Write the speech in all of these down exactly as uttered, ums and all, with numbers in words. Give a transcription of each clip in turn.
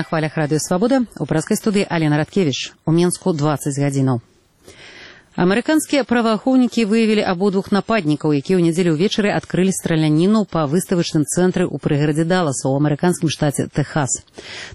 хвалях Радыё Свабода у пражскай студыі Алена Радкевіч. У Менску дваццаць гадзінаў. Амерыканскія праваахоўнікі выявілі абодвух нападнікаў, якія ў нядзелю ўвечары адкрылі страляніну па выставачным цэнтры ў прыгарадзе Далласа ў амерыканскім штаце Тэхас.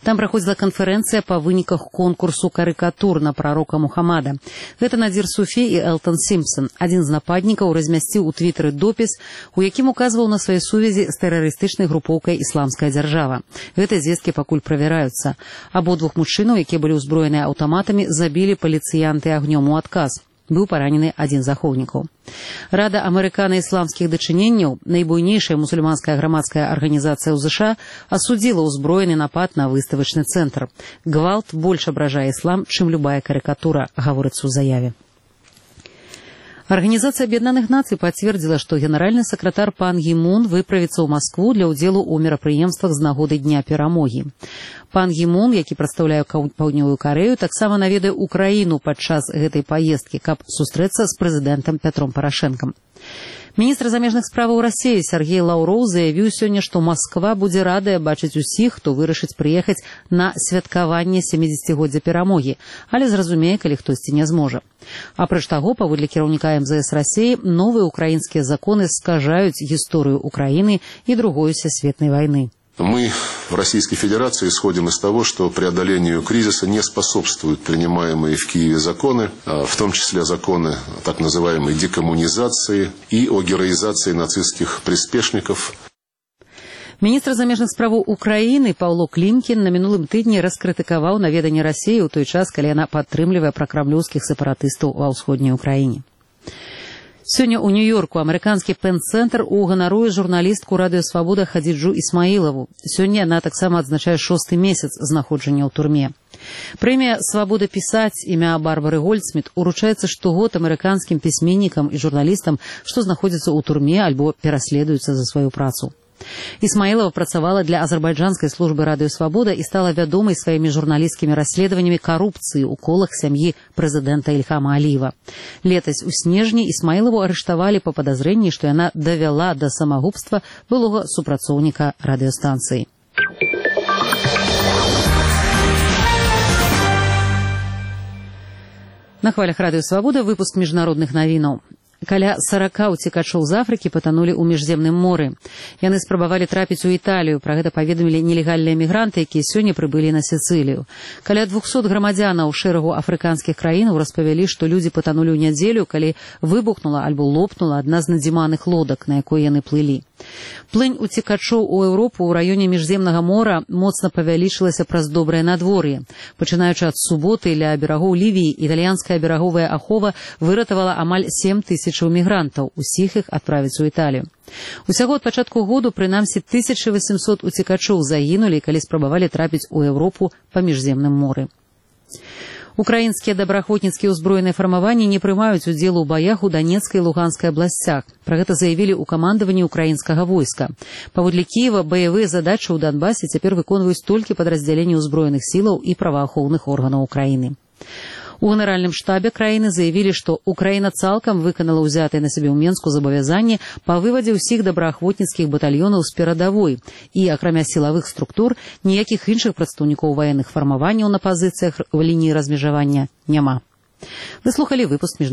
Там праходзіла канферэнцыя па выніках конкурсу карыкатур на прарока Мухаммада. Гэта Надзір Суфі і Элтон Сімпсон. Адзін з нападнікаў размясціў у твітары допіс, у якім указваў на свае сувязі з тэрарыстычнай групоўкай «Ісламская дзяржава». Гэтыя звесткі пакуль правяраюцца. Абодвух мужчынаў, якія былі ўзброеныя аўтаматамі, забілі паліцыянты агнём у адказ. Быў паранены адзін з ахоўнікаў. Рада амерыкана-ісламскіх дачыненняў, найбуйнейшая мусульманская грамадская арганізацыя ў ЗША, асудзіла ўзброены напад на выставачны цэнтр. Гвалт больш абражае іслам, чым любая карыкатура, гаворыцца ў заяве. Арганізацыя Аб'яднаных Нацый пацвердзіла, што генеральны сакратар Пан Гі Мун выправіцца ў Маскву для ўдзелу ў мерапрыемствах з нагоды Дня перамогі. Пан Гі Мун, які прадстаўляе Паўднёвую Карэю, таксама наведае Украіну падчас гэтай паездкі, каб сустрэцца з прэзідэнтам Пятром Парашэнкам. Міністр замежных справаў Расіі Сергей Лаўроў заявіў сёння, што Масква будзе радая бачыць усіх, хто вырашыць прыехаць на святкаванне сямідзесяцігоддзя перамогі, але зразумее, калі хтосьці не зможа. Апроч таго, паводле кіраўніка эм зэ эс Расіі, новыя украінскія законы скажаюць гісторыю Украіны і другой сусветнай вайны. Мы в Российской Федерации исходим из того, что преодолению кризиса не способствуют принимаемые в Киеве законы, в том числе законы так называемой декоммунизации и о героизации нацистских приспешников. Міністр замежных справаў Украіны Паўло Клімкін на мінулым тыдні раскрытыкаваў наведанне Расіі ў той час, калі яна падтрымлівае пракрамлёўскіх сепаратыстаў ва ўсходняй Украіне. Сёння ў Нью-Йорку амерыканскі Пен-цэнтр уганаруе журналістку Радыё Свабода Хадзіджу Ісмаілаву. Сёння яна таксама адзначае шосты месяц знаходжання ў турме. Прэмія «Свабода пісаць» імя Барбары Гольдсміт уручаецца штогод амерыканскім пісьменнікам і журналістам, што знаходзяцца ў турме альбо пераследуюцца за сваю працу. Ісмаілава працавала для азербайджанскай службы Радыё Свабода і стала вядомай сваімі журналісцкімі расследаваннямі карупцыі ў колах сям'і прэзідэнта Ільхама Аліева. Летась у снежні Ісмаілаву арыштавалі па падазрэнні, што яна давяла да самагубства былога супрацоўніка радыёстанцыі. На хвалях Радыё Свабода выпуск міжнародных навінаў. Каля сарака уцекачоў з Афрыкі патанулі ў міжземным моры. Яны спрабавалі трапіць у Італію. Пра гэта паведамілі нелегальныя мігранты, якія сёння прыбылі на Сіцылію. Каля двухсот грамадзянаў шэрагу афрыканскіх краінаў распавялі, што людзі патанулі ў нядзелю, калі выбухнула альбо лопнула адна з надзіманых лодак, на якой яны плылі. Плынь уцекачоў у Еўропу ў раёне міжземнага мора моцна павялічылася праз добрае надвор'е. Пачынаючы ад суботы ля берагоў Лівіі, італьянская бераговая ахова выратавала амаль сем тысячаў мігрантаў, усіх іх адправіць у Італію. Усяго ад пачатку году прынамсі тысяча васемсот уцекачоў загінулі, калі спрабавалі трапіць у Еўропу па міжземным моры. Украінскія добраахвотніцкія ўзброеныя фармаванні не прымаюць удзел у баях у Данецкай і Луганскай абласцях. Пра гэта заявілі ў камандаванні украінскага войска. Паводле Кіева баявыя задачы ў Донбасе цяпер выконваюць толькі падраздзяленні ўзброеных сілаў і праваахоўных органаў Украіны. У генеральным штабе краіны заявілі, што Украіна цалкам выканала ўзятыя на сябе ў Менску забавязанні па вывадзе ўсіх добраахвотніцкіх батальёнаў з перадавой і, акрамя сілавых структур, ніякіх іншых прадстаўнікоў ваенных фармаванняў на пазіцыях в лініі размежавання няма. Вы слухалі выпуск